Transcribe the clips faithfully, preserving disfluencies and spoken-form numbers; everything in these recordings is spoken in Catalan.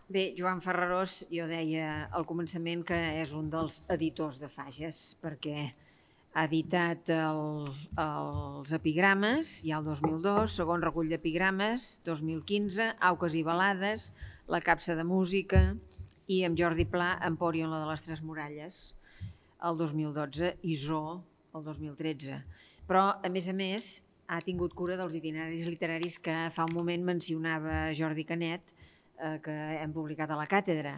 Bé, Joan Ferrarós, jo deia al començament que és un dels editors de Fages, perquè ha editat el, els epigrames, ja el dos mil dos, segon recull d'epigrames, dos mil quinze, Auques i balades, La capsa de música i amb Jordi Pla, Empòrion, la de les Tres Muralles, el dos mil dotze, i Zoo, el dos mil tretze. Però, a més a més, ha tingut cura dels itineraris literaris que fa un moment mencionava Jordi Canet, eh, que hem publicat a la càtedra,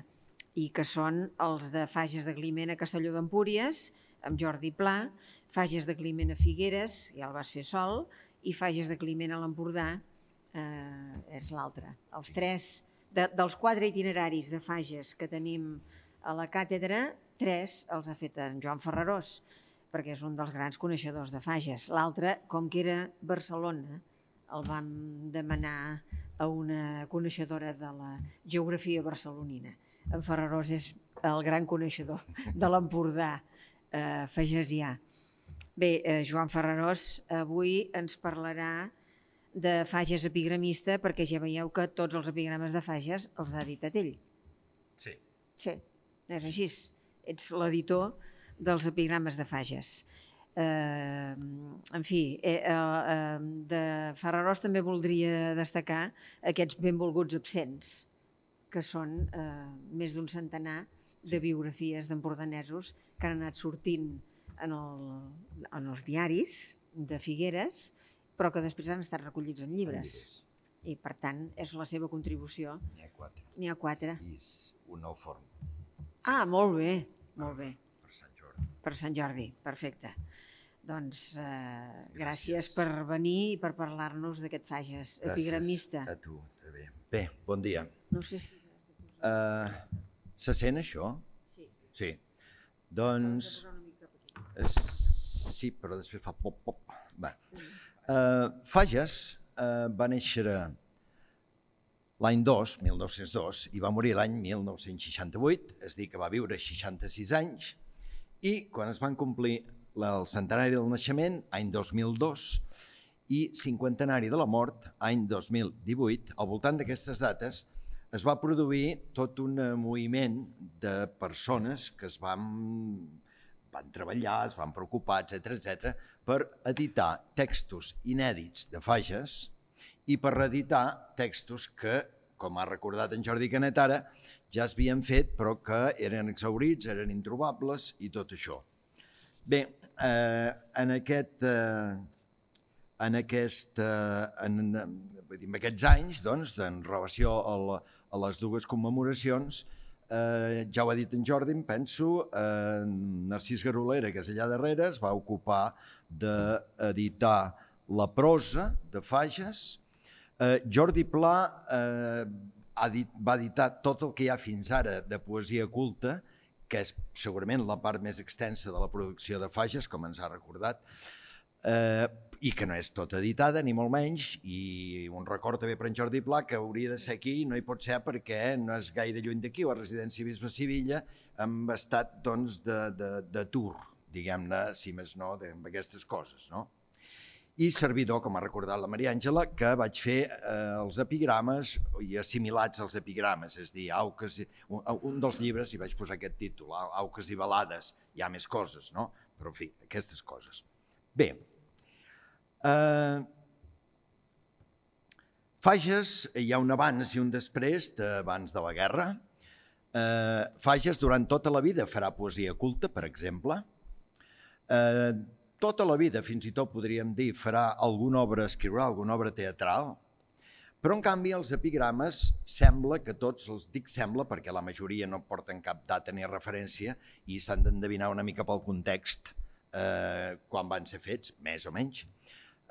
i que són els de Fages de Climent a Castelló d'Empúries, amb Jordi Pla, Fages de Climent a Figueres, ja el vas fer sol, i Fages de Climent a l'Empordà, eh, és l'altre. Els tres, de, dels quatre itineraris de Fages que tenim a la càtedra, tres els ha fet en Joan Ferrarós, perquè és un dels grans coneixedors de Fages. L'altre, com que era Barcelona, el vam demanar a una coneixedora de la geografia barcelonina. En Ferrarós és el gran coneixedor de l'Empordà eh, fagesià. Bé, eh, Joan Ferrarós avui ens parlarà de Fages epigramista, perquè ja veieu que tots els epigrames de Fages els ha editat ell. Sí. Sí, és així. Ets l'editor dels epigrames de Fages. Eh, en fi, eh, eh, de Ferrarós també voldria destacar aquests benvolguts absents, que són eh, més d'un centenar de biografies d'empordanesos que han anat sortint en, el, en els diaris de Figueres, però que després han estat recollits en llibres. I, per tant, és la seva contribució. N'hi ha quatre. N'hi ha quatre. I és un nou forn. Ah, molt bé, molt bé. Per Sant Jordi. Per Sant Jordi, perfecte. Doncs eh, gràcies. gràcies per venir i per parlar-nos d'aquest Fages epigramista. Gràcies a tu, també. Bé, bon dia. No sé si... Uh, se sent això? Sí. Sí. Doncs... Sí, però després fa pop, pop. Va. Uh, Fages uh, va néixer l'any dos, mil nou-cents dos, i va morir l'any mil nou-cents seixanta-vuit, és a dir, que va viure seixanta-sis anys, i quan es van complir el centenari del naixement, any dos mil dos, i cinquantenari de la mort, any dos mil divuit, al voltant d'aquestes dates, es va produir tot un moviment de persones que es van, van treballar, es van preocupar, etcètera, etcètera, per editar textos inèdits de Fages i per reeditar textos que, com ha recordat en Jordi Canet ara, ja s'havien fet però que eren exhaurits, eren introbables i tot això. Bé, eh, en, aquest, eh, en, aquest, eh, en, en aquests anys, doncs, en relació a, la, a les dues commemoracions, eh, ja ho ha dit en Jordi, em penso, eh, Narcís Garolera, que és allà darrere, es va ocupar d'editar la prosa de Fages. Eh, Jordi Pla eh, ha dit, va editar tot el que hi ha fins ara de poesia culta, que és segurament la part més extensa de la producció de Fages, com ens ha recordat, eh, i que no és tota editada, ni molt menys, i un record també per en Jordi Pla, que hauria de ser aquí, no hi pot ser perquè no és gaire lluny d'aquí, a la residència Bisbe Sivilla, amb estat doncs, de, de, de tour, diguem-ne, si més no, amb aquestes coses, no? I servidor, com ha recordat la Maria Àngela, que vaig fer eh, els epigrames i assimilats als epigrames, és a dir, Auques, un, un dels llibres, i vaig posar aquest títol, Auques i balades, hi ha més coses, no? Però, en fi, aquestes coses. Bé, eh, Fages, hi ha un abans i un després d'abans de la guerra. Eh, Fages, durant tota la vida, farà poesia culta, per exemple. Eh, tota la vida, fins i tot podríem dir, farà alguna obra, escriurà alguna obra teatral, però en canvi els epigrames sembla que tots, els dic sembla perquè la majoria no porten cap data ni referència i s'han d'endevinar una mica pel context eh, quan van ser fets, més o menys,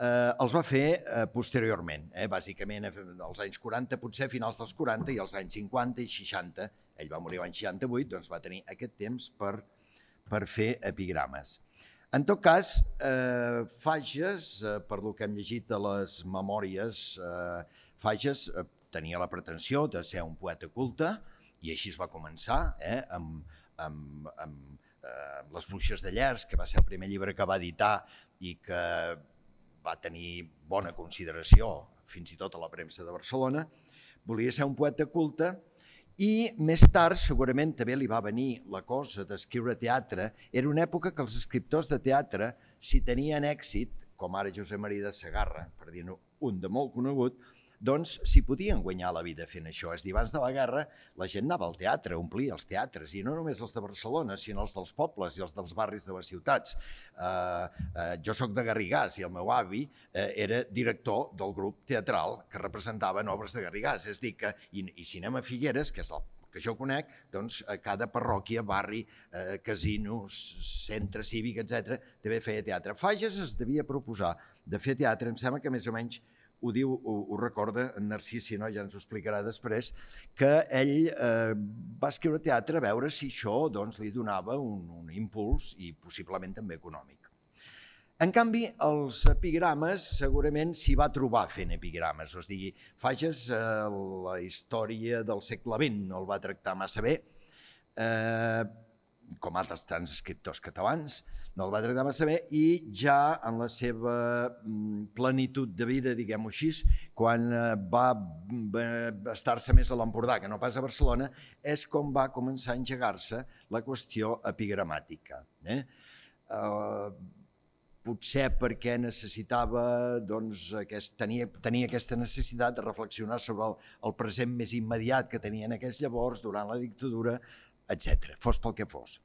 eh, els va fer eh, posteriorment, eh, bàsicament als anys quaranta, potser finals dels quaranta i als anys cinquanta i seixanta, ell va morir l'any seixanta-vuit, doncs va tenir aquest temps per, per fer epigrames. En tot cas, eh, Fages, eh, per lo que hem llegit a les memòries, eh, Fages eh, tenia la pretensió de ser un poeta culte i així es va començar, eh, amb, amb, amb, eh, amb Les bruixes de Llers, que va ser el primer llibre que va editar i que va tenir bona consideració fins i tot a la premsa de Barcelona. Volia ser un poeta culte I més tard, segurament, també li va venir la cosa d'escriure teatre. Era una època que els escriptors de teatre, si tenien èxit, com ara Josep Maria de Segarra, per dir-ne un de molt conegut, doncs s'hi podien guanyar la vida fent això. És a dir, abans de la guerra la gent anava al teatre, omplia els teatres, i no només els de Barcelona, sinó els dels pobles i els dels barris de les ciutats. Uh, uh, jo sóc de Garrigàs i el meu avi uh, era director del grup teatral que representaven obres de Garrigàs. És a dir, que, i, i Cinema Figueres, que és el que jo conec, doncs a cada parròquia, barri, eh, casinos, centre cívic, etcètera, també feia teatre. Fages es devia proposar de fer teatre, em sembla que més o menys ho diu, ho, ho recorda en Narcís, si no ja ens ho explicarà després, que ell eh, va escriure teatre a veure si això doncs, li donava un, un impuls i possiblement també econòmic. En canvi, els epigrames segurament s'hi va trobar fent epigrames, o sigui, Fages eh, la història del segle vint no el va tractar massa bé, eh, com altres tants escriptors catalans, no el va tractar massa bé, i ja en la seva plenitud de vida, diguem-ho així, quan va estar-se més a l'Empordà que no pas a Barcelona, és com va començar a engegar-se la qüestió epigramàtica. Eh? Uh, potser perquè necessitava, doncs, aquest, tenia, tenia aquesta necessitat de reflexionar sobre el, el present més immediat que tenia en aquells llavors, durant la dictadura, etcètera, fos pel que fos.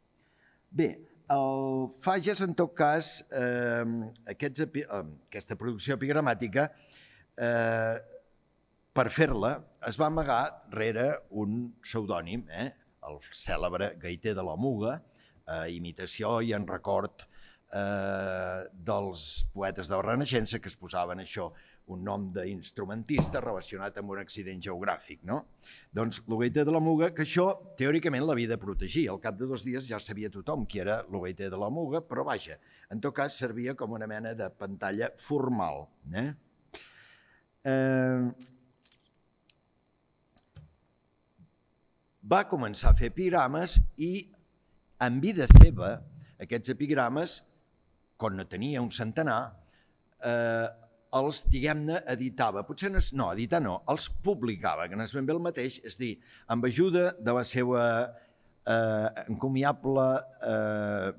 Bé, el Fages, en tot cas, eh, aquests, eh, aquesta producció epigramàtica, eh, per fer-la, es va amagar rere un pseudònim, eh, el cèlebre Gaiter de la Muga, eh, imitació i en record eh, dels poetes de la Renaixença que es posaven això, un nom d'instrumentista relacionat amb un accident geogràfic, no? Doncs l'Ogaiter de la Muga, que això teòricament l'havia de protegir. Al cap de dos dies ja sabia tothom qui era l'Ogaiter de la Muga, però vaja, en tot cas servia com una mena de pantalla formal. Eh? Eh... Va començar a fer epigrames i en vida seva aquests epigrames, quan no tenia un centenar, eh, els, diguem-ne, editava. Potser no, no, editar no, els publicava, que no és ben bé el mateix, és dir, amb ajuda de la seva eh, encomiable eh,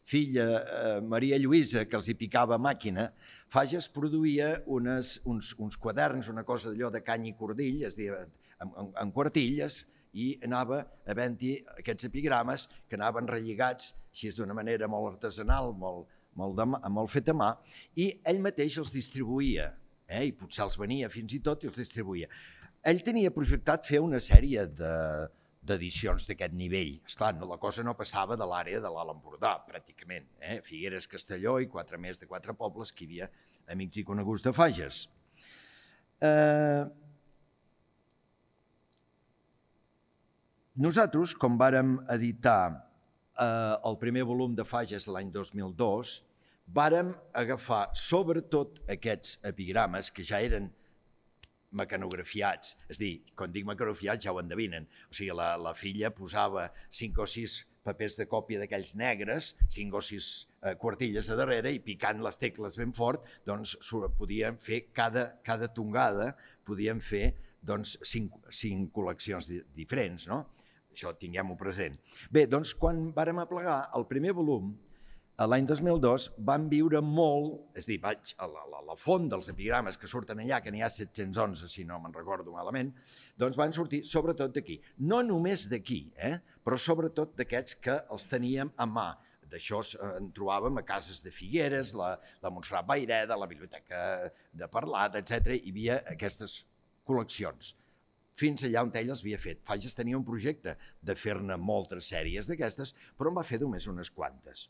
filla eh, Maria Lluïsa, que els hi picava màquina, Fages produïa unes, uns, uns quaderns, una cosa d'allò de cany i cordill, és dir, en, en, en quartilles, i anava havent-hi aquests epigrames que anaven relligats així d'una manera molt artesanal, molt, molt, de, molt fet a mà, i ell mateix els distribuïa, eh? I potser els venia fins i tot i els distribuïa. Ell tenia projectat fer una sèrie d'edicions de, d'aquest nivell. Esclar, no, la cosa no passava de l'àrea de l'Alt Empordà, pràcticament. Eh? Figueres, Castelló i quatre més de quatre pobles que hi havia amics i coneguts de Fages. Eh... Nosaltres, com vàrem editar eh, el primer volum de Fages l'any dos mil dos, vàrem agafar sobretot aquests epigrames que ja eren mecanografiats, és a dir, quan dic mecanografiats ja ho endevinen, o sigui, la, la filla posava cinc o sis papers de còpia d'aquells negres, cinc o sis eh, quartilles a darrere i picant les tecles ben fort, doncs podíem fer cada, cada tongada, podíem fer doncs, cinc, cinc col·leccions di, diferents, no? Això tinguem-ho present. Bé, doncs quan vàrem aplegar el primer volum, l'any dos mil dos, van viure molt, és a dir, vaig a la, la, la font dels epigrames que surten allà, que n'hi ha set-cents onze, si no me'n recordo malament, doncs van sortir sobretot d'aquí. No només d'aquí, eh? Però sobretot d'aquests que els teníem a mà. D'això en trobàvem a cases de Figueres, la, la Montserrat Vayreda, la Biblioteca de Parlat, etcètera. Hi havia aquestes col·leccions. Fins allà on ell els havia fet. Fages tenia un projecte de fer-ne moltes sèries d'aquestes, però en va fer només unes quantes.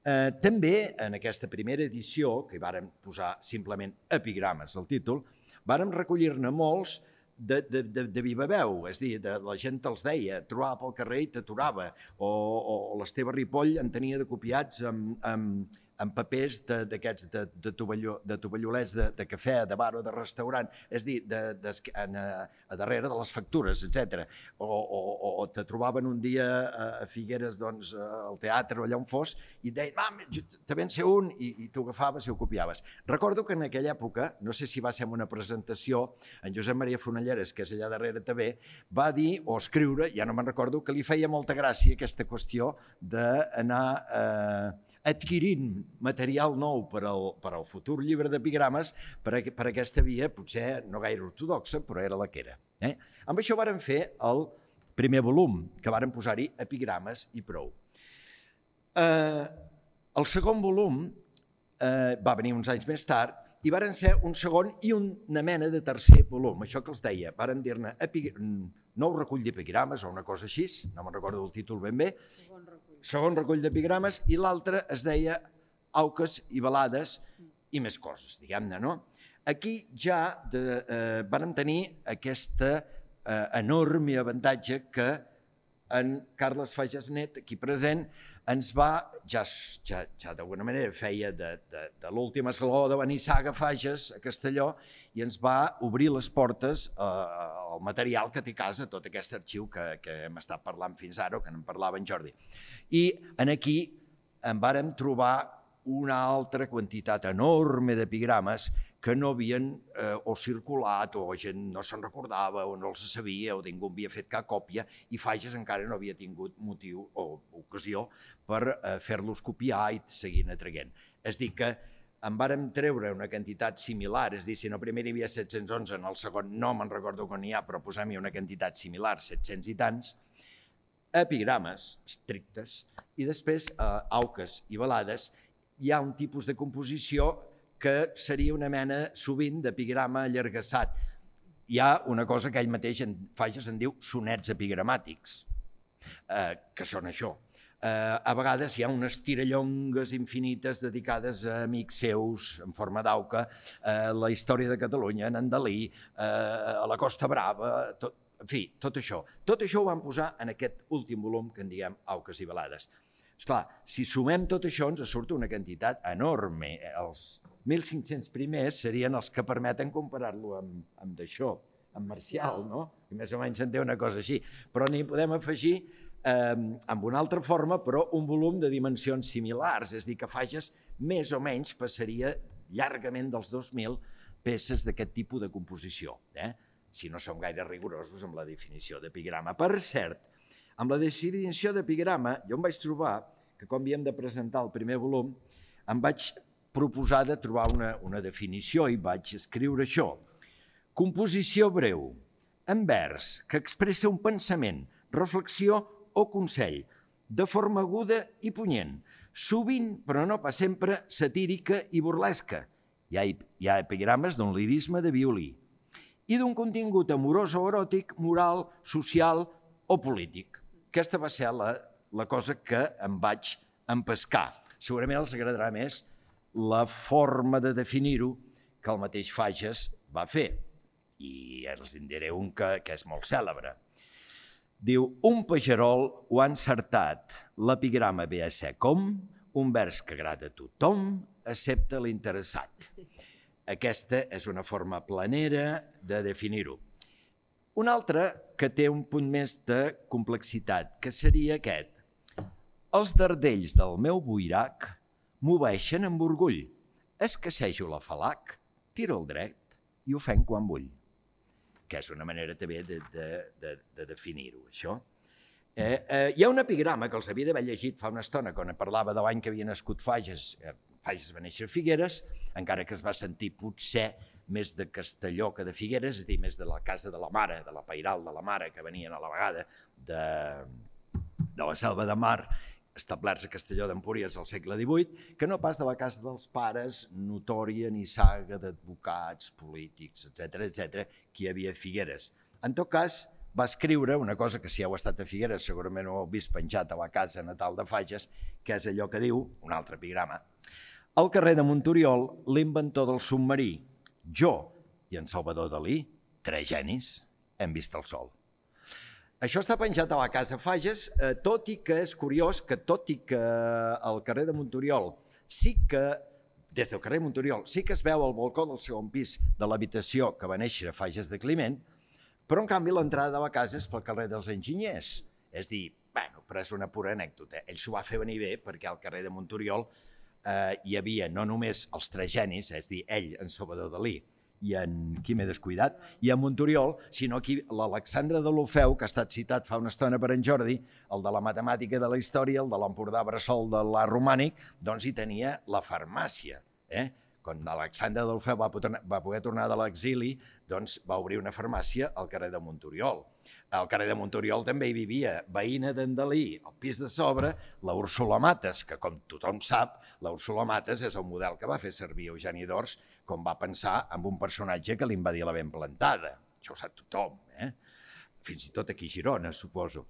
Eh, també en aquesta primera edició, que vàrem posar simplement epigrames al títol, vàrem recollir-ne molts de, de, de, de viva veu, és a dir, de, la gent els deia, trobava pel carrer i t'aturava, o, o l'Esteve Ripoll en tenia de copiats amb, amb, amb papers d'aquests de, de, de, tovalló, de tovallolets de, de cafè, de bar o de restaurant, és a dir, de, de, en, a, a darrere de les factures, etcètera. O, o, o te trobaven un dia a, a Figueres, doncs, al teatre o allà on fos, i et deien, mam, també en sé un, i, i tu agafaves i ho copiaves. Recordo que en aquella època, no sé si va ser en una presentació, en Josep Maria Fonelleres, que és allà darrere també, va dir, o escriure, ja no me'n recordo, que li feia molta gràcia aquesta qüestió d'anar eh, adquirint material nou per al, per al futur llibre d'epigrames per, a, per aquesta via, potser no gaire ortodoxa, però era la que era. Eh? Amb això vàrem fer el primer volum, que vàrem posar-hi epigrames i prou. Eh, el segon volum eh, va venir uns anys més tard i varen ser un segon i una mena de tercer volum, això que els deia, varen dir-ne nou recull d'epigrames o una cosa així, no me'n recordo el títol ben bé, segon recull, segon recull d'epigrames, i l'altre es deia Auques i balades i més coses, diguem-ne, no? Aquí ja de, eh, vàrem tenir aquesta eh, enorme avantatge que en Carles Fages Net, aquí present, ens va, ja, ja, ja d'alguna manera feia de, de, de l'últim esglaó de Benissaga Fages a Castelló i ens va obrir les portes eh, al material que té a casa, tot aquest arxiu que, que hem estat parlant fins ara, o que en parlava en Jordi. I en aquí en vàrem trobar una altra quantitat enorme d'epigrames que no havien eh, o circulat, o gent no se'n recordava, o no els sabia, o ningú havia fet cap còpia, i Fages encara no havia tingut motiu o ocasió per eh, fer-los copiar i seguir atraient. És dir, que en vàrem treure una quantitat similar, és dir, si no primer hi havia set-cents onze, en el segon no me'n recordo quan n'hi ha, però posem-hi una quantitat similar, set-cents i tants, epigrames estrictes, i després eh, auques i balades. Hi ha un tipus de composició que seria una mena sovint d'epigrama allargassat. Hi ha una cosa que ell mateix en Fages en diu sonets epigramàtics, eh, que són això. Eh, a vegades hi ha unes tirallongues infinites dedicades a amics seus en forma d'auca, eh, la història de Catalunya, en Dalí, eh, a la Costa Brava, tot, en fi, tot això. Tot això ho vam posar en aquest últim volum que en diem Auques i balades. Esclar, si sumem tot això ens surt una quantitat enorme. Els mil cinc-cents primers serien els que permeten comparar-lo amb, amb d'això, amb Marcial, no? I més o menys en té una cosa així. Però n'hi podem afegir eh, amb una altra forma, però un volum de dimensions similars, és a dir, que Fages més o menys passaria llargament dels dos mil peces d'aquest tipus de composició, eh? Si no som gaire rigorosos amb la definició d'epigrama. Per cert, amb la definició d'epigrama, jo em vaig trobar que quan havíem de presentar el primer volum, em vaig proposar de trobar una, una definició i vaig escriure això. Composició breu, en vers, que expressa un pensament, reflexió o consell, de forma aguda i punyent, sovint, però no pas sempre, satírica i burlesca. Hi ha, hi ha epigrames d'un lirisme de violí i d'un contingut amorós o eròtic, moral, social o polític. Aquesta va ser la, la cosa que em vaig empescar. Segurament els agradarà més la forma de definir-ho que el mateix Fages va fer. I els en diré un que, que és molt cèlebre. Diu, un pagerol ho ha encertat, l'epigrama ve a ser com un vers que agrada a tothom, excepte l'interessat. Aquesta és una forma planera de definir-ho. Un altre que té un punt més de complexitat, que seria aquest. Els dardells del meu boirac m'obeeixen amb orgull. Escassejo la falac, tiro el dret i ho fem quan vull. Que és una manera també de, de, de, de definir-ho, això. Eh, eh, hi ha un epigrama que els havia d'haver llegit fa una estona, quan parlava de l'any que havia nascut Fages. Eh, Fages va néixer a Figueres, encara que es va sentir potser més de Castelló que de Figueres, és a dir, més de la casa de la mare, de la pairal de la mare, que venien a la vegada de, de la Selva de Mar, establerts a Castelló d'Empúries al segle divuit, que no pas de la casa dels pares, notòria ni saga d'advocats, polítics, etcètera, etcètera, que hi havia a Figueres. En tot cas, va escriure una cosa que si heu estat a Figueres segurament ho heu vist penjat a la casa natal de Fages, que és allò que diu, un altre epigrama, al carrer de Montoriol, l'inventor del submarí, jo i en Salvador Dalí, tres genis, hem vist el sol. Això està penjat a la casa Fages, eh, tot i que és curiós que tot i que al carrer de Montoriol sí que, des del carrer Montoriol, sí que es veu al balcó del segon pis de l'habitació que va néixer a Fages de Climent, però en canvi l'entrada de la casa és pel carrer dels Enginyers. És dir, bueno, però és una pura anècdota. Ell s'ho va fer venir bé perquè al carrer de Montoriol eh, hi havia no només els tres genis, és dir, ell, en Salvador Dalí, i en qui m'he descuidat, i en Montoriol, sinó aquí l'Alexandre de l'Ofeu, que ha estat citat fa una estona per en Jordi, el de la matemàtica de la història, el de l'Empordà Bressol de l'art romànic, doncs hi tenia la farmàcia. Eh? Quan Alexandre de l'Ofeu va, va poder tornar de l'exili, doncs va obrir una farmàcia al carrer de Montoriol. Al carrer de Montoriol també hi vivia veïna d'en Dalí, al pis de sobre, la Úrsula Mates, que com tothom sap, la Úrsula Mates és el model que va fer servir Eugeni d'Ors quan va pensar en un personatge que li invadia la ben plantada. Això ho sap tothom, eh? Fins i tot aquí a Girona, suposo.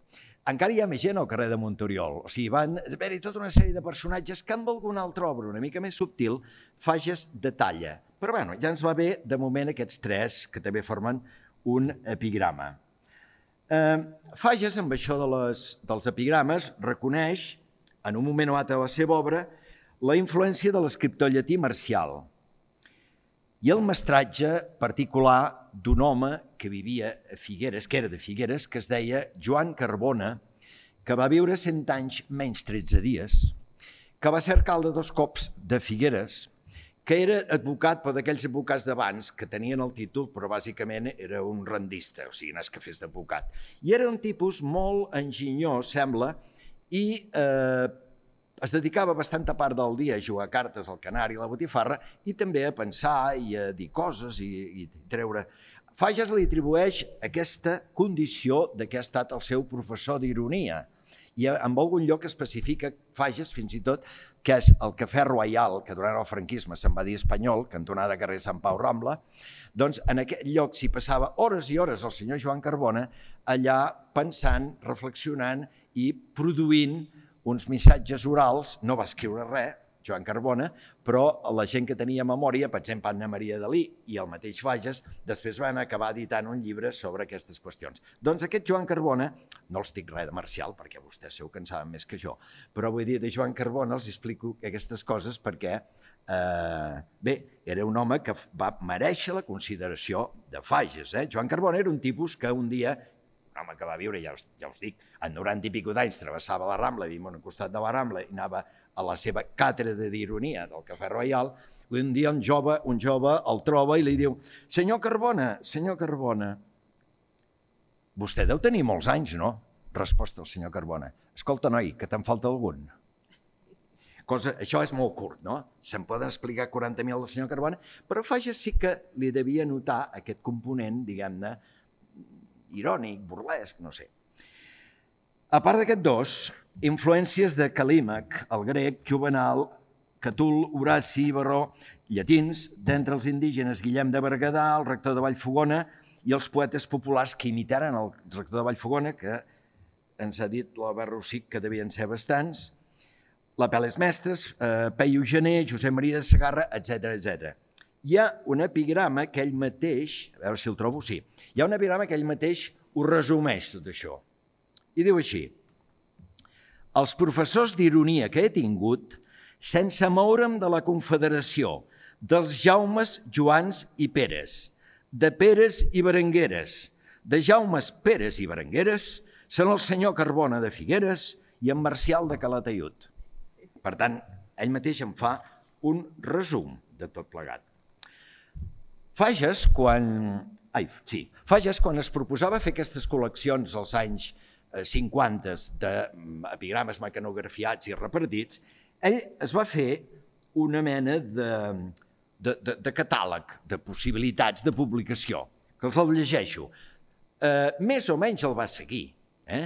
Encara hi ha més gent al carrer de Montoriol. O sigui, van haver-hi tota una sèrie de personatges que amb alguna altra obra una mica més subtil Fages detalla. Però bueno, ja ens va bé de moment aquests tres que també formen un epigrama. Eh, Fages, amb això de les, dels epigrames, reconeix, en un moment o altre de la seva obra, la influència de l'escriptor llatí Marcial i el mestratge particular d'un home que vivia a Figueres, que era de Figueres, que es deia Joan Carbona, que va viure cent anys menys tretze dies, que va ser alcalde dos cops de Figueres, que era advocat per d'aquells advocats d'abans que tenien el títol, però bàsicament era un rendista, o sigui, no és que fes d'advocat. I era un tipus molt enginyós, sembla, i eh, es dedicava bastanta part del dia a jugar cartes al canari i la botifarra i també a pensar i a dir coses i, i treure... Fages li atribueix aquesta condició de que ha estat el seu professor d'ironia. I en algun lloc especifica Fages, fins i tot, que és el Cafè Royal, que durant el franquisme se'n va dir espanyol, cantonada carrer Sant Pau Rambla, doncs en aquest lloc s'hi passava hores i hores el senyor Joan Carbona allà pensant, reflexionant i produint uns missatges orals. No va escriure res, Joan Carbona, però la gent que tenia memòria, per exemple, Anna Maria Dalí i el mateix Fages, després van acabar editant un llibre sobre aquestes qüestions. Doncs aquest Joan Carbona, no els dic res de Marcial, perquè vostès segur que en saben més que jo, però vull dir, de Joan Carbona els explico aquestes coses perquè, eh, bé, era un home que va merèixer la consideració de Fages. Eh? Joan Carbona era un tipus que un dia, un home que va viure, ja us, ja us dic, en noranta i pico d'anys travessava la Rambla, vivim al costat de la Rambla i anava a la seva càtedra d'ironia del Cafè Royal, un dia un jove, un jove el troba i li diu: senyor Carbona, senyor Carbona, vostè deu tenir molts anys, no? Resposta el senyor Carbona: escolta, noi, que te'n falta algun. Cosa, això és molt curt, no? Se'n poden explicar quaranta mil del senyor Carbona, però Fages sí que li devia notar aquest component, diguem-ne, irònic, burlesc, no sé. A part d'aquests dos, influències de Calímac, el grec, Juvenal, Catul, Horaci, Baró, llatins, d'entre els indígenes Guillem de Berguedà, el rector de Vallfogona i els poetes populars que imitaren el rector de Vallfogona, que ens ha dit l'Albert Rossic que devien ser bastants, l'Apel·les Mestres, eh, Peyu Gener, Josep Maria de Segarra, etcètera, etcètera. Hi ha un epigrama que ell mateix, a veure si el trobo, sí, hi ha un epigrama que ell mateix ho resumeix tot això. I diu així: els professors d'ironia que he tingut, sense moure'm de la confederació dels Jaumes, Joans i Peres, de Peres i Berengueres, de Jaumes, Peres i Berengueres, són el senyor Carbona de Figueres i en Marcial de Calataiud. Per tant, ell mateix en fa un resum de tot plegat. Fages, quan... Ai, sí. Fages, quan es proposava fer aquestes col·leccions als anys cinquanta d'epigrames mecanografiats i repartits, ell es va fer una mena de, de, de, de catàleg de possibilitats de publicació, que els el llegeixo. Eh, més o menys el va seguir, eh?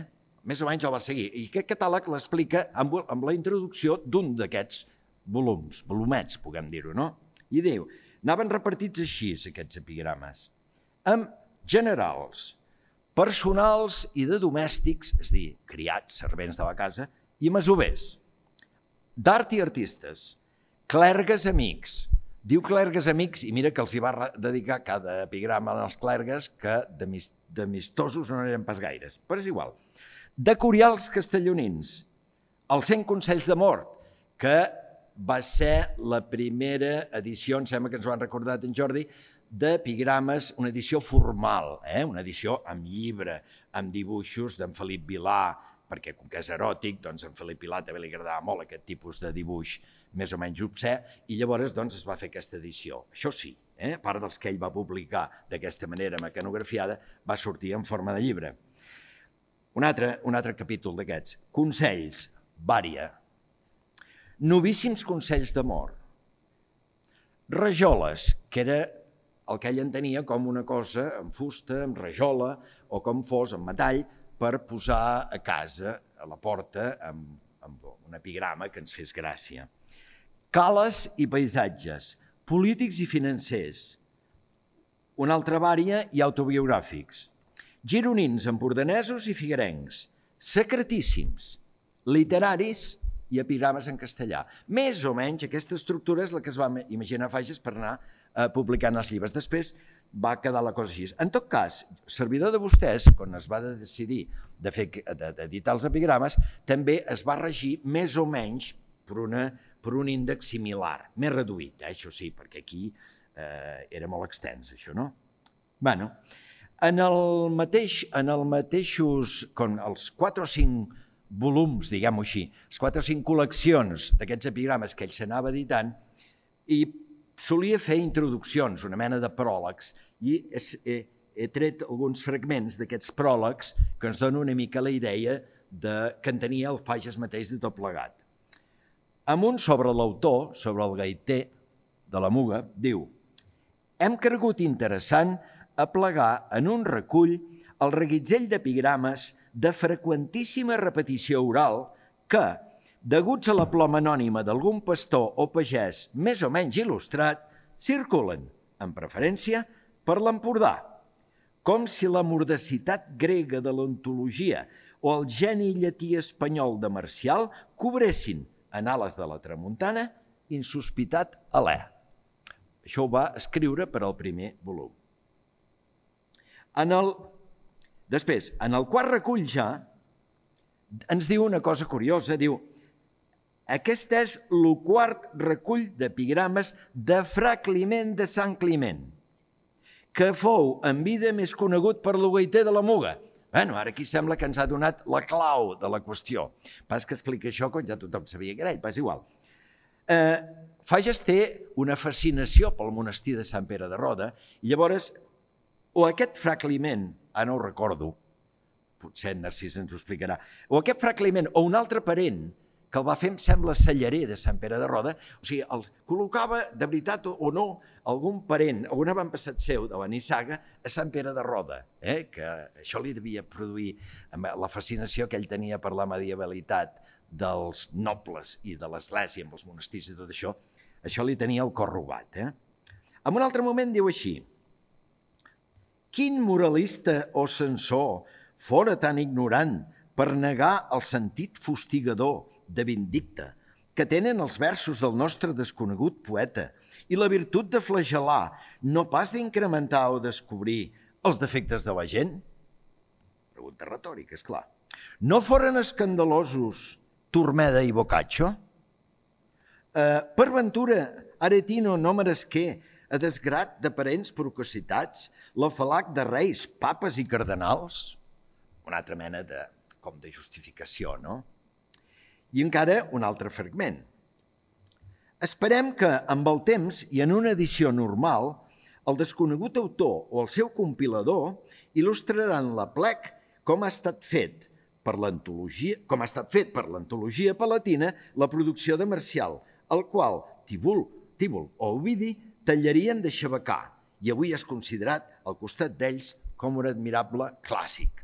Més o menys el va seguir. I aquest catàleg l'explica amb, amb la introducció d'un d'aquests volums, volumets, puguem dir-ho, no? I diu, anaven repartits així, aquests epigrames, amb generals, personals i de domèstics, és a dir, criats, servents de la casa, i masovers, d'art i artistes, clergues amics. Diu clergues amics i mira que els hi va dedicar cada epigrama als clergues que d'amistosos no eren pas gaires, però és igual. De curials castellonins, els cent consells d'amor, que va ser la primera edició, em sembla que ens ho han recordat en Jordi, d'epigrames, una edició formal, eh? Una edició amb llibre, amb dibuixos d'en Felip Vilà, perquè com que és eròtic, doncs en Felip Vilà també li agradava molt aquest tipus de dibuix més o menys obscè, i llavors doncs, es va fer aquesta edició. Això sí, eh? A part dels que ell va publicar d'aquesta manera mecanografiada, va sortir en forma de llibre. Un altre, un altre capítol d'aquests. Consells, vària. Novíssims consells d'amor. Rajoles, que era el que ell entenia com una cosa amb fusta, amb rajola, o com fos, amb metall, per posar a casa, a la porta, amb, amb un epigrama que ens fes gràcia. Cales i paisatges, polítics i financers. Una altra vària i autobiogràfics. Gironins, empordanesos i figuerencs. Secretíssims, literaris i epigrames en castellà. Més o menys aquesta estructura és la que es va imaginar Fages per anar eh, publicant els llibres. Després va quedar la cosa així. En tot cas, servidor de vostès, quan es va decidir de fer, d'editar els epigrames, també es va regir més o menys per, una, per un índex similar, més reduït, eh, això sí, perquè aquí eh, era molt extens, això, no? Bueno, en el mateix, en el mateixos, com els quatre o cinc volums, diguem-ho així, les quatre o cinc col·leccions d'aquests epigrames que ell s'anava editant, i solia fer introduccions, una mena de pròlegs, i he, he tret alguns fragments d'aquests pròlegs que ens donen una mica la idea de, que en tenia el Fages mateix de tot plegat. Amb un sobre l'autor, sobre el gaiter de la Muga, diu: hem cregut interessant aplegar en un recull el reguitzell d'epigrames de freqüentíssima repetició oral que, deguts a la ploma anònima d'algun pastor o pagès més o menys il·lustrat, circulen, en preferència, per l'Empordà, com si la mordacitat grega de l'ontologia o el geni llatí espanyol de Marcial cobressin, en ales de la tramuntana, insospitat alè. Això ho va escriure per al primer volum. En el... Després, en el quart recull ja, ens diu una cosa curiosa, diu: aquest és el quart recull d'epigrames de Fra Climent de Sant Climent, que fou en vida més conegut per lo gaiter de la Muga. Bueno, ara aquí sembla que ens ha donat la clau de la qüestió. Pas que explica això quan ja tothom sabia que era ell, pas igual. Eh, Fages té una fascinació pel monestir de Sant Pere de Roda, i llavors, o aquest Fra Climent, ara no ho recordo, potser en Narcís ens ho explicarà, o aquest Fra Climent, o un altre parent, que el va fer, em sembla, cellarer de Sant Pere de Roda, o sigui, el col·locava, de veritat o no, algun parent, o un avantpassat seu de la Nissaga, a Sant Pere de Roda, eh? Que això li devia produir la fascinació que ell tenia per la medievalitat dels nobles i de l'església amb els monestirs i tot això, això li tenia el cor robat. Eh? En un altre moment diu així: quin moralista o censor fora tan ignorant per negar el sentit fustigador de vindicte que tenen els versos del nostre desconegut poeta i la virtut de flagel·lar, no pas d'incrementar o descobrir els defectes de la gent? Pregunta retòrica, és clar. No foren escandalosos Turmeda i Boccaccio? Eh, per ventura, Aretino no meresqué, a desgrat de parents prococitats, l'afalac de reis, papes i cardenals? Una altra mena de, com de justificació, no? I encara un altre fragment. Esperem que, amb el temps i en una edició normal, el desconegut autor o el seu compilador il·lustraran l'aplec com ha estat fet per l'antologia, com ha estat fet per l'antologia palatina la producció de Marcial, el qual Tívol, Tívol o Ovidi tallarien de xabacar i avui és considerat al costat d'ells com un admirable clàssic.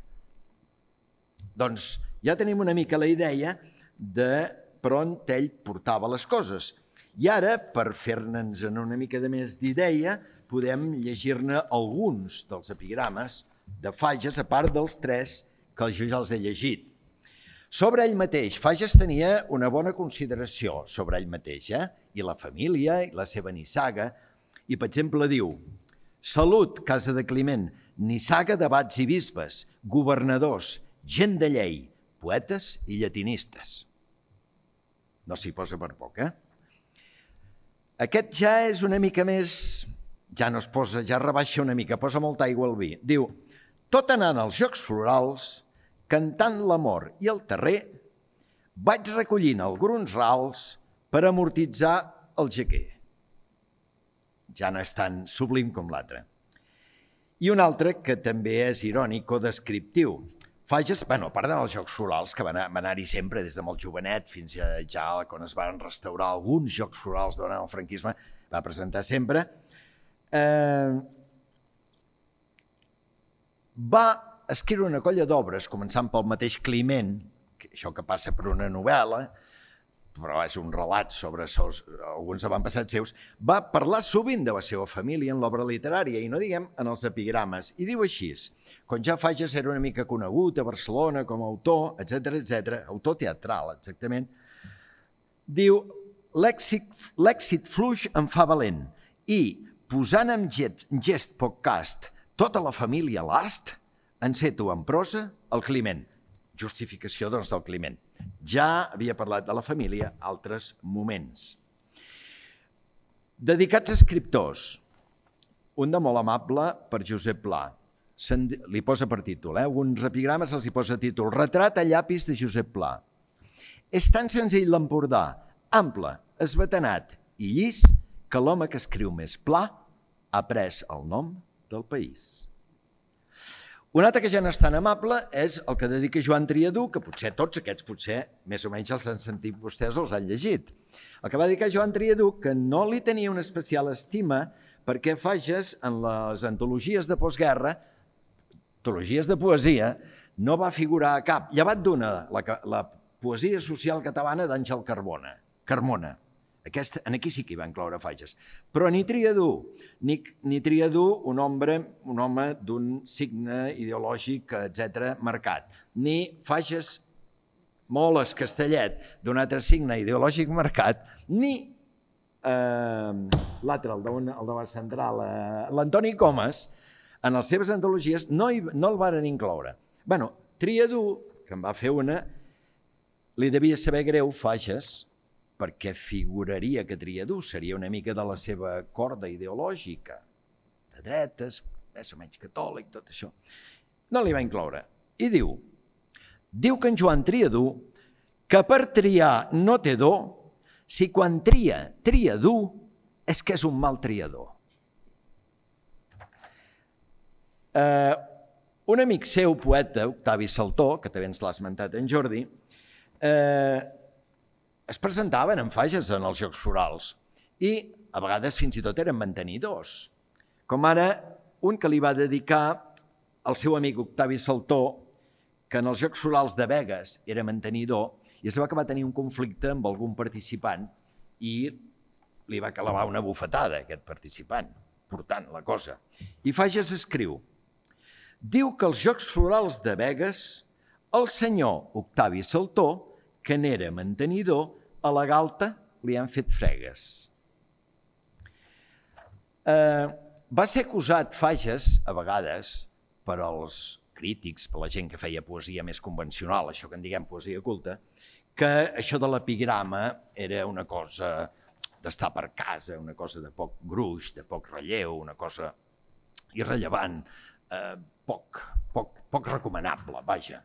Doncs ja tenim una mica la idea de per on ell portava les coses. I ara, per fer-ne'ns una mica de més d'idea, podem llegir-ne alguns dels epigrames de Fages, a part dels tres que jo ja els he llegit. Sobre ell mateix, Fages tenia una bona consideració sobre ell mateix, eh? I la família, i la seva nissaga. I, per exemple, diu: salut, casa de Climent, nissaga d'abats i bisbes, governadors, gent de llei, poetes i llatinistes. No s'hi posa per poc, eh? Aquest ja és una mica més... Ja no es posa, ja rebaixa una mica, posa molta aigua al vi. Diu, tot anant als Jocs Florals, cantant l'amor i el terrer, vaig recollint alguns rals per amortitzar el jaquer. Ja no és tan sublim com l'altre. I un altre que també és irònic o descriptiu. Fages, bueno, a part dels Jocs Florals, que van anar-hi sempre des de molt jovenet fins a ja quan es van restaurar alguns Jocs Florals durant el franquisme, va presentar sempre, eh, va escriure una colla d'obres, començant pel mateix Climent, que això que passa per una novel·la, però és un relat sobre seus, alguns avantpassats seus, va parlar sovint de la seva família en l'obra literària i no diguem en els epigrames. I diu així, quan ja Fages era una mica conegut a Barcelona com a autor, etcètera, etcètera, autor teatral, exactament, diu, l'èxit fluix em fa valent i, posant en gest podcast tota la família a l'ast, enceto en prosa el Climent. Justificació, doncs, del Climent. Ja havia parlat de la família altres moments. Dedicats a escriptors. Un de molt amable per Josep Pla. Li posa per títol, eh? Alguns epigrames els hi posa títol. Retrat a llapis de Josep Pla. És tan senzill l'Empordà, ample, esbatanat i llis, que l'home que escriu més pla ha pres el nom del país. Un altre que ja no és tan amable és el que dedica Joan Triadú, que potser tots aquests, potser més o menys els han sentit vostès o els han llegit. El que va dedicar Joan Triadú, que no li tenia una especial estima perquè Fages en les antologies de postguerra, antologies de poesia, no va figurar a cap, llevat d'una, la, la poesia social catalana d'Àngel Carbona, Carmona. Aquest, en aquí sí que hi va incloure Fages. Però ni Triadú, ni, ni Triadú, un home, un home d'un signe ideològic, etcètera, marcat, ni Fages Moles Castellet, d'un altre signe ideològic marcat, ni eh, l'altre, el, de, el de la central, eh, l'Antoni Comas, en les seves antologies no, hi, no el varen incloure. Bé, Triadú, que en va fer una, li devia saber greu Fages, perquè figuraria que Triadú seria una mica de la seva corda ideològica, de dretes, més o menys catòlic, tot això. No li va incloure. I diu, diu que en Joan Triadú, que per triar no té do, si quan tria, tria dur, és que és un mal triador. Eh, un amic seu, poeta, Octavi Saltó, que també ens l'ha esmentat en Jordi, eh, es presentaven en Fages en els Jocs Florals i a vegades fins i tot eren mantenidors. Com ara un que li va dedicar al seu amic Octavi Saltó, que en els Jocs Florals de Begues era mantenidor i es va acabar tenir un conflicte amb algun participant i li va clavar una bufetada a aquest participant, portant la cosa. I Fages escriu, diu que als Jocs Florals de Begues el senyor Octavi Saltó, que n'era mantenidor, a la galta li han fet fregues. Eh, va ser acusat Fages, a vegades, per als crítics, per la gent que feia poesia més convencional, això que en diguem poesia culta, que això de l'epigrama era una cosa d'estar per casa, una cosa de poc gruix, de poc relleu, una cosa irrellevant, eh, poc, poc, poc recomanable, vaja.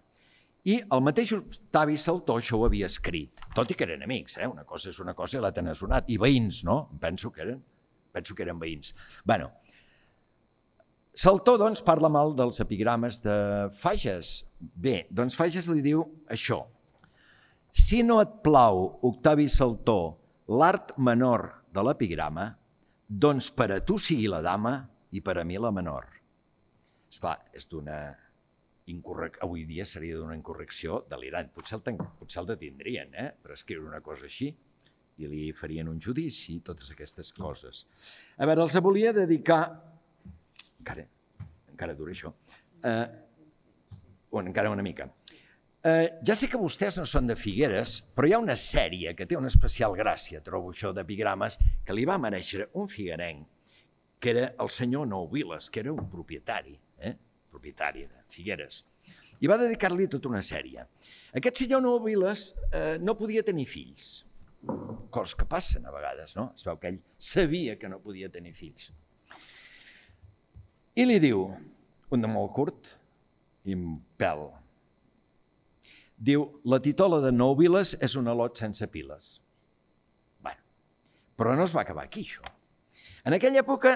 I el mateix Octavi Saltó això ho havia escrit, tot i que eren amics, eh? Una cosa és una cosa i l'altra n'ha sonat, i veïns, no? Penso que eren, penso que eren veïns. Bueno, Saltó, doncs, parla mal dels epigrames de Fages. Bé, doncs Fages li diu això. Si no et plau, Octavi Saltó, l'art menor de l'epigrama, doncs per a tu sigui la dama i per a mi la menor. Esclar, és d'una... Incorrec... Avui dia seria d'una incorrecció delirant. Potser el, ten... Potser el detindrien, eh? Per escriure una cosa així i li farien un judici, totes aquestes coses. A veure, els volia dedicar... Encara, encara dura això. Eh... Bueno, encara una mica. Eh, ja sé que vostès no són de Figueres, però hi ha una sèrie que té una especial gràcia, trobo això d'epigrames, que li va mereixer un figuerenc, que era el senyor Nou Viles, que era un propietari, eh? propietari de Figueres, i va dedicar-li tota una sèrie. Aquest senyor Nou Viles eh, no podia tenir fills, coses que passen a vegades, no? Es veu que ell sabia que no podia tenir fills. I li diu, un de molt curt i un pèl, diu, la titola de Nouviles és un al·lot sense piles. Bé, però no es va acabar aquí, això. En aquella època,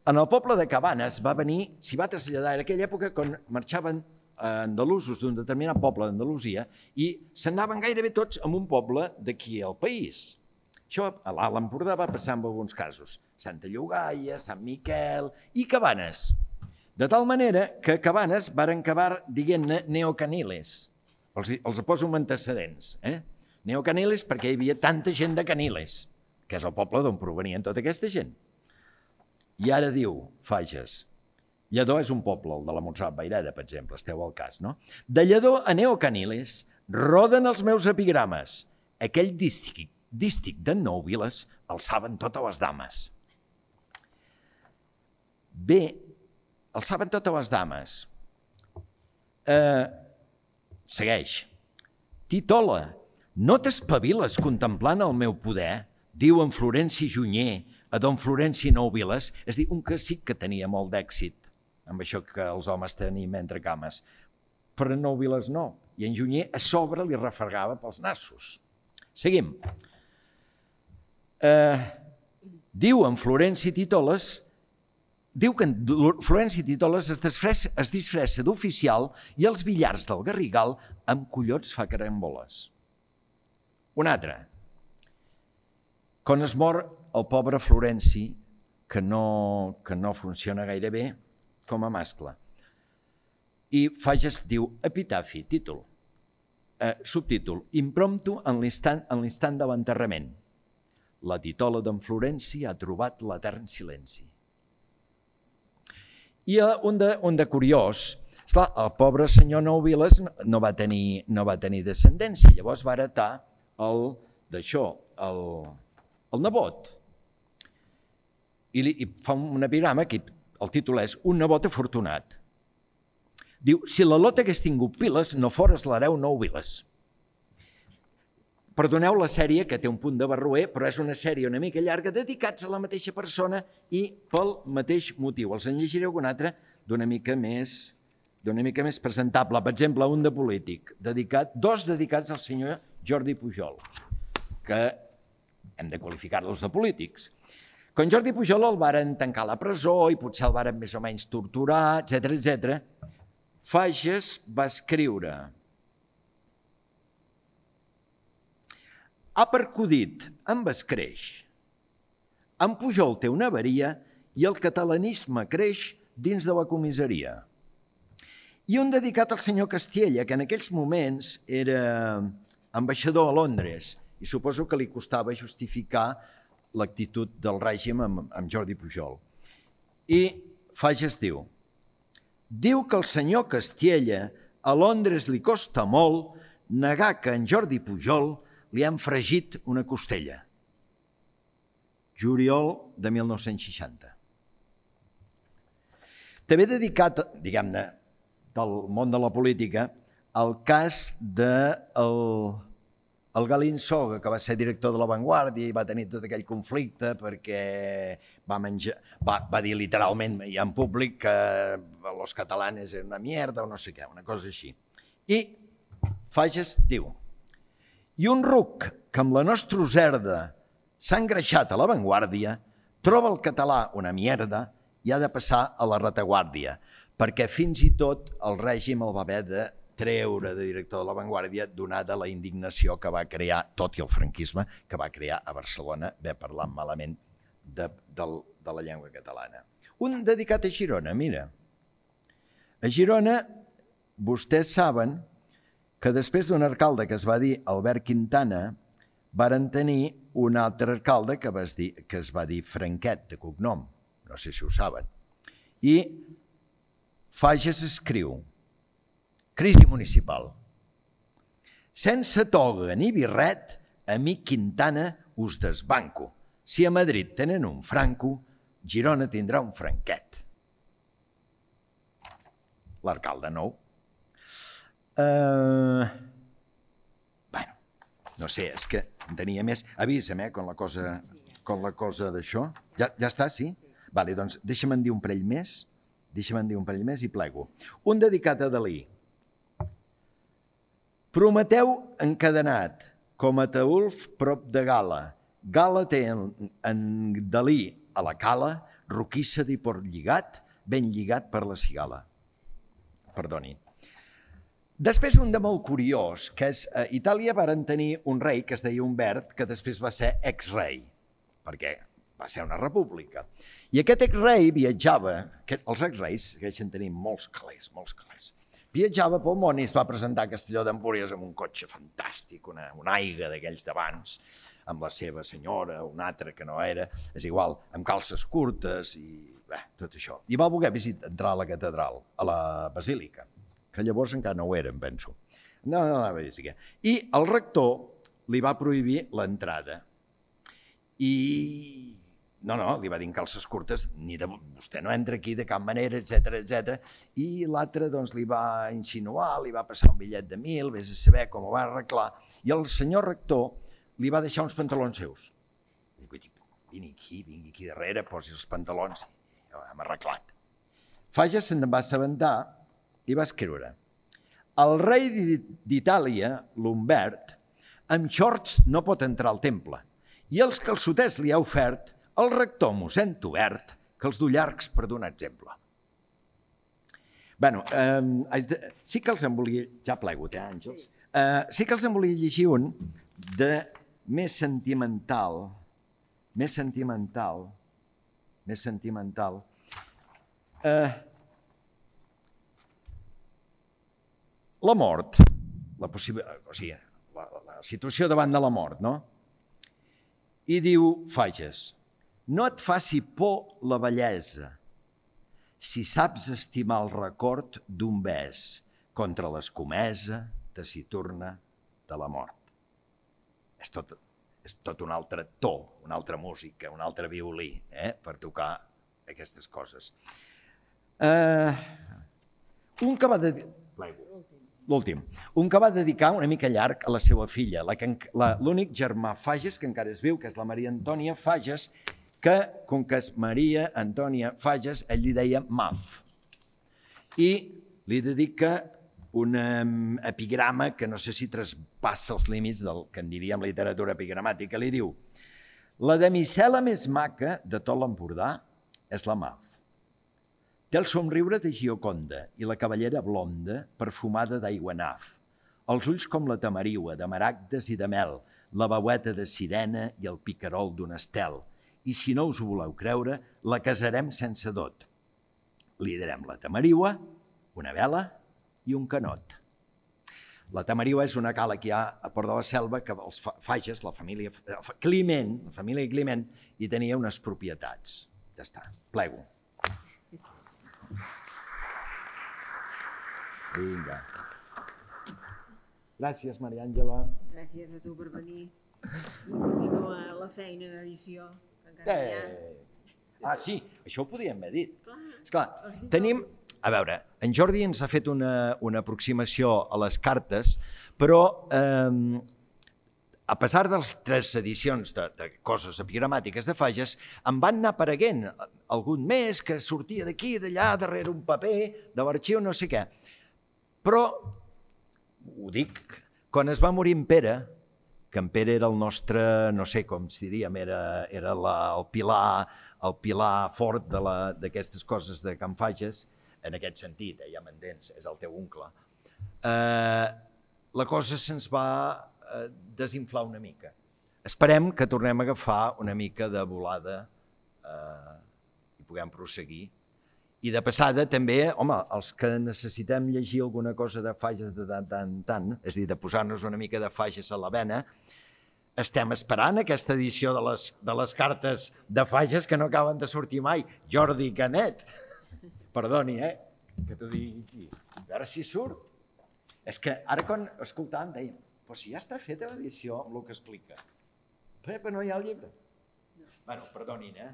en el poble de Cabanes va venir, s'hi va traslladar, en aquella època quan marxaven andalusos d'un determinat poble d'Andalusia i s'anaven gairebé tots a un poble d'aquí al país. Això a l'Alt Empordà va passar en alguns casos. Santa Llogaia, Sant Miquel i Cabanes. De tal manera que a Cabanes varen acabar dient-ne neocaniles. Els, els poso amb antecedents. Eh? Neocaniles perquè hi havia tanta gent de Caniles, que és el poble d'on provenien tota aquesta gent. I ara diu, Fages, Lledó és un poble, el de la Montserrat Vaireda, per exemple, esteu al cas, no? De Lledó a Neocaniles roden els meus epigrames. Aquell dístic, dístic de Nouviles el saben totes les dames. Bé, el saben totes les dames. Eh, segueix. Titola, no t'espaviles contemplant el meu poder? Diu en Florenci Junyer a don Florenci Nouviles, és a dir, un que sí que tenia molt d'èxit amb això que els homes tenim entre cames. Però en Nouviles no. I en Junyer a sobre li refregava pels nassos. Seguim. Eh, diu en Florenci Titoles, diu que en Florenci Titoles es disfressa, es disfressa d'oficial i els billars del Garrigal amb collons fa caramboles. Un altre. Quan es mor el pobre Florenci, que no, que no funciona gaire bé, com a mascle. I Fages diu epitafi, títol, eh, subtítol, impromptu en l'instant en l'instant de l'enterrament. La titola d'en Florenci ha trobat l'etern silenci. I un de, un de curiós, esclar, el pobre senyor Nouviles no va tenir, no va tenir descendència, llavors va heretar el, d'això, el, el nebot. I, li, i fa un epigrama que el títol és Un nebot afortunat. Diu, si l'al·lot hagués tingut piles, no fores l'hereu Nouviles. Perdoneu la sèrie, que té un punt de barroer, però és una sèrie una mica llarga, dedicats a la mateixa persona i pel mateix motiu. Els en llegiré algun altre d'una mica més, d'una mica més presentable. Per exemple, un de polític, dedicat, dos dedicats al senyor Jordi Pujol, que hem de qualificar-los de polítics. Quan Jordi Pujol el varen tancar a la presó i potser el varen més o menys torturar, etcètera, etcètera, Fages va escriure: ha percudit amb escreix. En Pujol té una avaria i el catalanisme creix dins de la comissaria. I un dedicat al senyor Castiella, que en aquells moments era ambaixador a Londres i suposo que li costava justificar l'actitud del règim amb, amb Jordi Pujol. I Fages diu, diu que el senyor Castiella a Londres li costa molt negar que en Jordi Pujol li han fregit una costella. Juliol de mil nou-cents seixanta. També dedicat, diguem-ne, del món de la política, al cas del el Galín Soga, que va ser director de La Vanguardia i va tenir tot aquell conflicte perquè va, menjar, va, va dir literalment i en públic que els catalanes eren una mierda o no sé què, una cosa així. I Fages diu, i un ruc que amb la nostra userda s'ha engreixat a La Vanguardia troba el català una mierda i ha de passar a la retaguardia, perquè fins i tot el règim el va haver de treure de director de La Vanguardia donada la indignació que va crear, tot i el franquisme, que va crear a Barcelona, haver parlat malament de, de, de la llengua catalana. Un dedicat a Girona, mira. A Girona, vostès saben que després d'un alcalde que es va dir Albert Quintana, varen tenir un altre alcalde que, vas dir, que es va dir Franquet, de cognom. No sé si ho saben. I Fages escriu, crisi municipal. Sense toga ni birret, amic Quintana, us desbanco. Si a Madrid tenen un franco, Girona tindrà un franquet. L'alcalde nou. Uh, bueno, no sé, és que en tenia més. Avisa'm, eh, con la cosa, con la cosa d'això. Ja, ja està, sí? Vale, doncs deixa'm en dir un parell més, deixa'm en dir un parell més i plego. Un dedicat a Dalí. Prometeu encadenat, com a Ataülf prop de Gala. Gala té en, en Dalí a la cala, roquissa i port lligat, ben lligat per la cigala. Perdoni. Després un de molt curiós, que és a Itàlia varen tenir un rei que es deia Humbert, que després va ser ex-rei, perquè va ser una república. I aquest ex-rei viatjava, els ex-reis segueixen tenint molts calés, molts calés, viatjava pel món i es va presentar a Castelló d'Empúries amb un cotxe fantàstic, una, una aiga d'aquells d'abans, amb la seva senyora, un altre que no era, és igual, amb calces curtes i bé, tot això. I va voler visitar, entrar a la catedral, a la basílica, que llavors encara no ho eren, penso. No, no, no, basílica. I el rector li va prohibir l'entrada. I no, no, li va dir en calces curtes, ni de, vostè no entra aquí de cap manera, etcètera, etcètera. I l'altre doncs, li va insinuar, li va passar un bitllet de mil, vés a saber com ho va arreglar, i el senyor rector li va deixar uns pantalons seus. I dic, vini aquí, vingui aquí darrere, posi els pantalons, i ho hem arreglat. Fages se'n va assabentar i va escriure: el rei d'Itàlia, l'Humbert, amb xorts no pot entrar al temple, i els calçoters li ha ofert el rector mossèn Tobert, que els du llargs per donar exemple. Bé, eh, sí que els en volia... Ja plego, eh, Àngels? Eh, sí que els en volia llegir un de més sentimental, més sentimental, més sentimental. Eh, la mort, la, possible, o sigui, la, la situació davant de la mort, no? I diu Fages: no et faci por la bellesa, si saps estimar el record d'un bes contra l'escomesa taciturna de la mort. És tot, és tot un altre to, una altra música, un altre violí, eh, per tocar aquestes coses. Uh, un que va dedicar... L'últim. Un que va dedicar una mica llarg a la seva filla, l'únic germà Fages, que encara es viu, que és la Maria Antònia Fages, que, com que és Maria Antònia Fages, ell li deia Maf. I li dedica un epigrama que no sé si traspassa els límits del que en diríem literatura epigramàtica. Li diu: la damisela més maca de tot l'Empordà és la Maf. Té el somriure de Gioconda i la cavallera blonda perfumada d'aigua naf, els ulls com la tamariua, de maragdes i de mel, la veueta de sirena i el picarol d'un estel. I si no us ho voleu creure, la casarem sense dot. Li darem la tamariua, una vela i un canot. La tamariua és una cala que hi ha a Port de la Selva que els Fages, la família Climent, la família Climent, hi tenia unes propietats. Ja està, plego. Vinga. Gràcies, Maria Àngela. Gràcies a tu per venir. I continua la feina d'edició. Eh. Ah, sí, això ho podíem haver dit. Esclar, tenim... A veure, en Jordi ens ha fet una, una aproximació a les cartes, però eh, a pesar de les tres edicions de, de coses epigramàtiques de Fages, em van anar apareguent algun més que sortia d'aquí, d'allà, darrere un paper, de l'arxiu, no sé què. Però, ho dic, quan es va morir en Pere, que en Pere era el nostre, no sé com si diríem, era, era la, el, pilar, el pilar fort d'aquestes coses de Can Fages, en aquest sentit, eh, ja m'entens, és el teu oncle, eh, la cosa se'ns va eh, desinflar una mica. Esperem que tornem a agafar una mica de volada eh, i puguem prosseguir. I de passada també, home, els que necessitem llegir alguna cosa de Fages de tant en tant, és a dir, de posar-nos una mica de Fages a la vena, estem esperant aquesta edició de les, de les cartes de Fages que no acaben de sortir mai. Jordi Canet, perdoni, eh, que t'ho digui aquí, a veure si surt. És que ara quan escoltàvem deia, però si ja està feta l'edició amb el que explica, però no hi ha el llibre. Bueno, perdonin, eh?